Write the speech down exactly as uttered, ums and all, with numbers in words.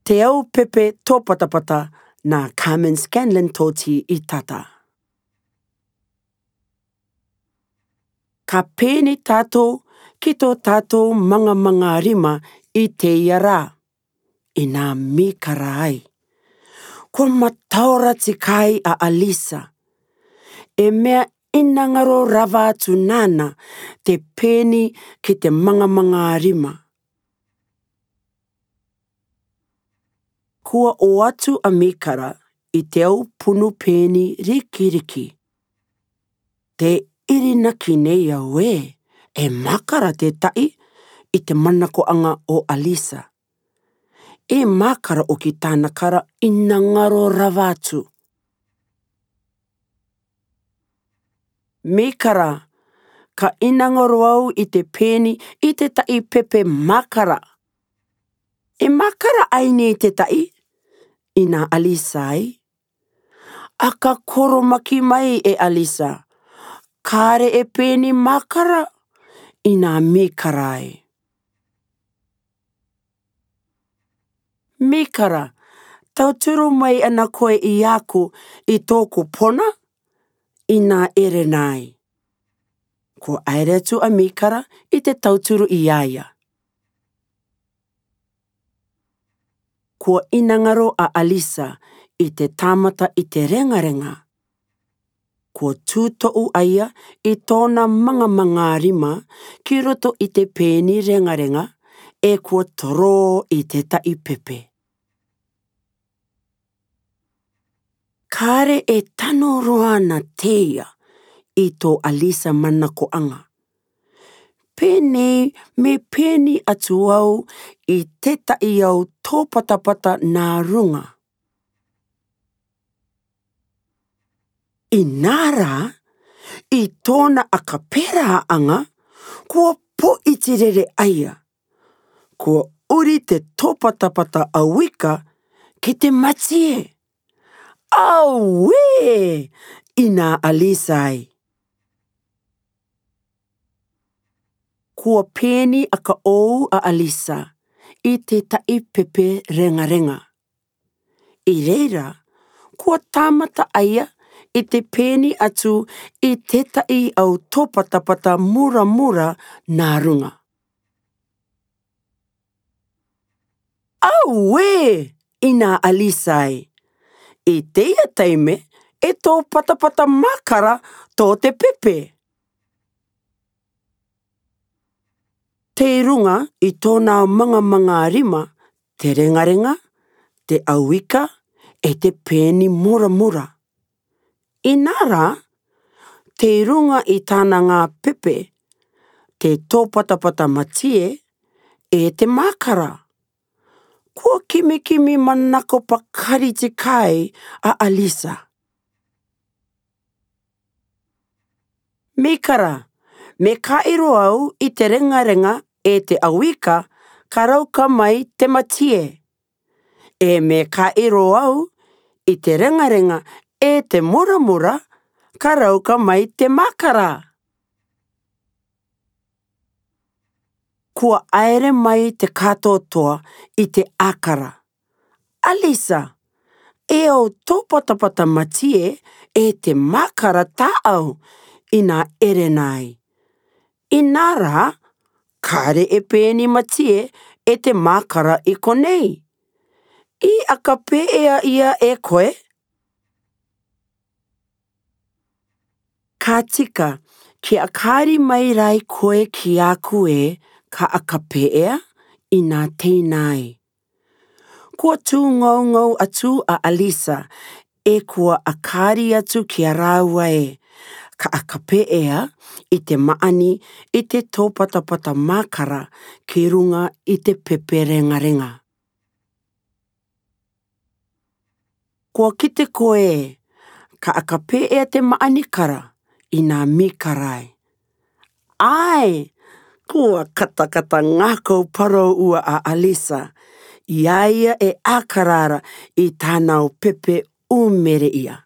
Te au pepe topatapata na Carmen Scanlon Toti i tata. Ka peni tatou ki to tatou mangamanga rima i teia ra, i na Mikara ai. Kua mataora tikai a Alisa. E me'e inangaro rava atu nana te peni ki te mangamanga rima. Kua o atu a Mikara i te au punu peni rikiriki. Te irinaki nei au ē, e makara te ta'i i te manako'anga o Alisa. E makara o ki tana kara inangaro rava atu. Mikara, ka inangaro au i te peni i te ta'i pepe makara. E makara ai nei te ta'i? I na Alisa ai. A ka koromaki mai e Alisa. Kare e peni makara? I na Mikara ai. Mikara, tauturu mai ana koe i aku i toku pona? I na Erena ai. Kua aere atu a Mikara i te tauturu i aia. Kua inangaro a Alisa i te tamata i te rengarenga. Kua tuto'u aia i tona mangamanga rima ki roto i te peni rengarenga, e kua toro i te ta'i pepe. Kare e tano roa na teia i to Alisa manako'anga. Penei me peni atu au i te ta'i au topatapata na ruŋa. I na ra, i tona a ka pera'aŋa, kua po'i tirere aia. Kua uri te topatapata auika ki te matie. Aue! I na Alisa ai. Kua peni a ka ou a Alisa i te ta'i pepe rengarenga. I reira, kua tamata aia i te peni atu i te ta'i au topatapata muramura na ruŋa. Aue! I na Alisa ai. I teia taime e topatapata makara to te pepe. Tei ruŋa i tona mangamanga rima te rengarenga, te auika, e te peni muramura. I na ra, tei ruŋa i tana ŋā pepe, te topatapata matie, e te makara. Kua kimikimi manako pakari tikai a Alisa. Mikara, me kairo au i te rengarenga e te auika ka rauka mai te matie. E me kairo au i te rengarenga e te muramura ka rauka mai te makara. Kua aere mai te katoatoa i te akara. Alisa, e au topatapata matie e te makara tā'au, i na Erena ai. I na ra, kare e peni matie e te makara i konei. I a ka pe'ea ia e koe? Ka tika, ki a kari mai rai koe ki aku e, ka a ka pe'ea, i na teina ai. Kua tū ngaungau atu a Alisa, e kua a kari atu ki a rāua e, ka a ka pe'ea, i te ma'ani, i te topatapata makara, ki ruŋa i te pepe rengarenga. Kua kite koe, ka a ka pe'ea te ma'ani kara, i na Mikara ai. Ae, kua katakata ŋakau parau ua a Alisa, i a ia e akara ra i tana au pepe ū mere ia.